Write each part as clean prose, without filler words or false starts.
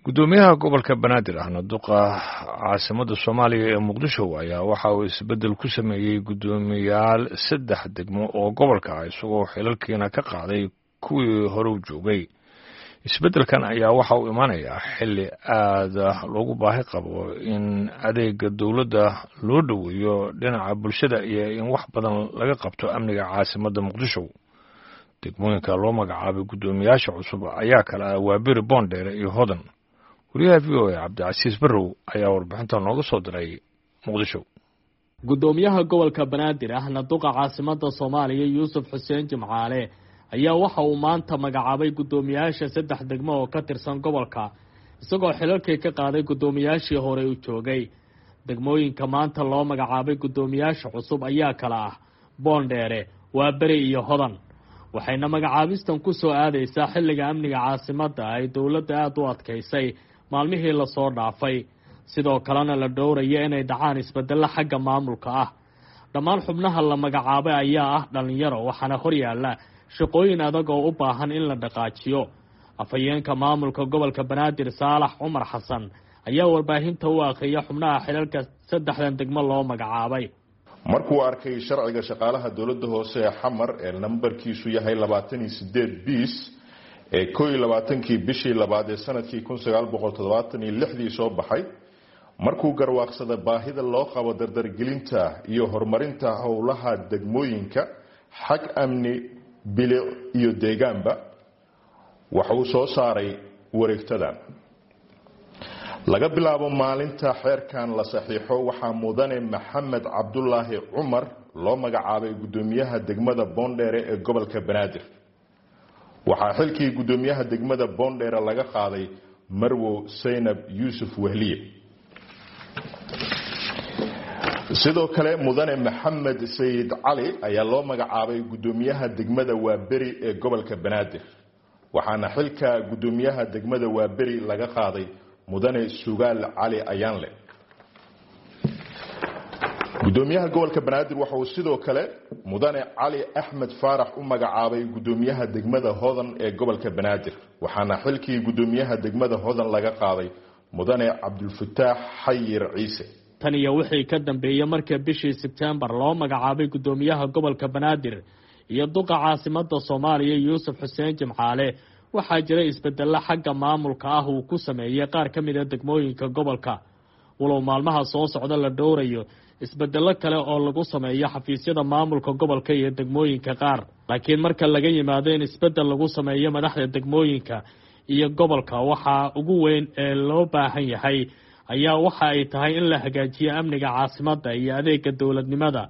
Gudoomiyaha gobolka Banaadir ahna duqa caasimadda Soomaaliya ee Muqdisho ayaa waxa uu isbeddel ku sameeyey guddoomiyaal saddex degmo oo gobolka ah, isagoo xilalkiina ka qaaday kuwii hore u joogay. Isbeddelkan ayaa waxa uu imaanayaa xilli aada loogu baahi qabo in adeega dowladda loo dhoweeyo dhinaca bulshada iyo in wax badan laga qabto amniga caasimadda Muqdisho. Degmooyinka loo magacaabay guddoomiyaasha cusub ayaa kale ah Waaberi, Boondheere iyo Hodan. Wariyaha VOA Cabdicasiis Barrow ayaa warbixinta nooga soo diray Muqdisho. Guddoomiyaha gobolka Banaadir ahna duqa caasimadda Soomaaliya Yuusuf Xuseen Jimcaale ayaa waxa uu maanta magacaabay guddoomiyaasha saddex degmo oo ka tirsan gobolka, isagoo xilalkii ka qaaday guddoomiyaashii horey u joogay. Degmooyinka maanta loo magacaabay guddoomiyaasha cusub ayaa kala ah Boondheere, Waaberi iyo Hodan, waxayna magacaabistan ku soo aadaysaa xilliga amniga caasimadda ay dowladda aada u adkaysay maalmihii lasoo dhaafay, sidoo kalena la dhowraya inay dhacaan isbeddello xagga maamulka ah. Dhammaan xubnaha la magacaabay ayaa ah dhallinyaro, waxaana horyaalla shaqooyin adag oo u baahan in la dhaqaajiyo. Afhayeenka maamulka gobolka Banaadir Saalax Cumar Xasan ayaa warbaahinta u akhriya xubnaha xilalka saddexdan degmo loo magacaabay. Markuu arkay sharciga shaqaalaha dowladda hoose ee Xamar ee nambarkiisu yahay 28 biis ee 21-kii bishii labaad ee sanadkii 1976-dii soo baxay, markuu garwaaqsada baahida loo qabo dardargelinta iyo horumarinta howlaha degmooyinka xag amni, bilic iyo deegaanba, waxa uu soo saaray wareegtadan. Laga bilaabo maalinta xeerkan la saxiixo, waxaa mudane Maxamed Cabdulaahi Cumar loo magacaabay guddoomiyaha degmada Boondheere ee gobolka Banaadir. Waxaa xilkii guddoomiyaha degmada Boondheere laga qaaday Marwow Saynab Yuusuf Wehliye. Sidoo kale mudane Maxamed Sayid Cali ayaa loo magacaabay guddoomiyaha degmada Waaberi ee gobolka Banaadir, waxaana xilka guddoomiyaha degmada Waaberi laga qaaday mudane Sugaal Cali Ayaanle. Gudoomiyaha gobolka Banaadir waxa uu sidoo kale mudane Cali Axmed Faarax u magacaabay guddoomiyaha degmada Hodan ee gobolka Banaadir, waxaana xilkii guddoomiyaha degmada Hodan laga qaaday mudane Cabdulfataax Xayir Ciise. Tan iyo wixii ka dambeeyey markii bishii Sebtembar loo magacaabay guddoomiyaha gobolka Banaadir iyo duqa caasimadda Soomaaliya Yuusuf Xuseen Jimcaale, waxaa jiray isbeddello xagga maamulka ah uu ku sameeyey qaar ka mid a degmooyinka gobolka, walow maalmaha soo socda la dhowrayo isbeddello kale oo lagu sameeyo xafiisyada maamulka gobolka iyo degmooyinka qaar. Laakiin marka laga yimaado in isbeddel lagu sameeyo madaxda degmooyinka iyo gobolka, waxaa ugu weyn ee loo baahan yahay ayaa waxa ay tahay in la hagaajiyo amniga caasimadda iyo adeega dowladnimada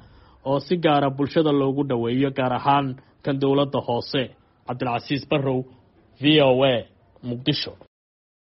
oo si gaara bulshada loogu dhoweeyo, gaar ahaan kan dowladda hoose. Cabdilcasiis Barrow, VOA, Muqdisho.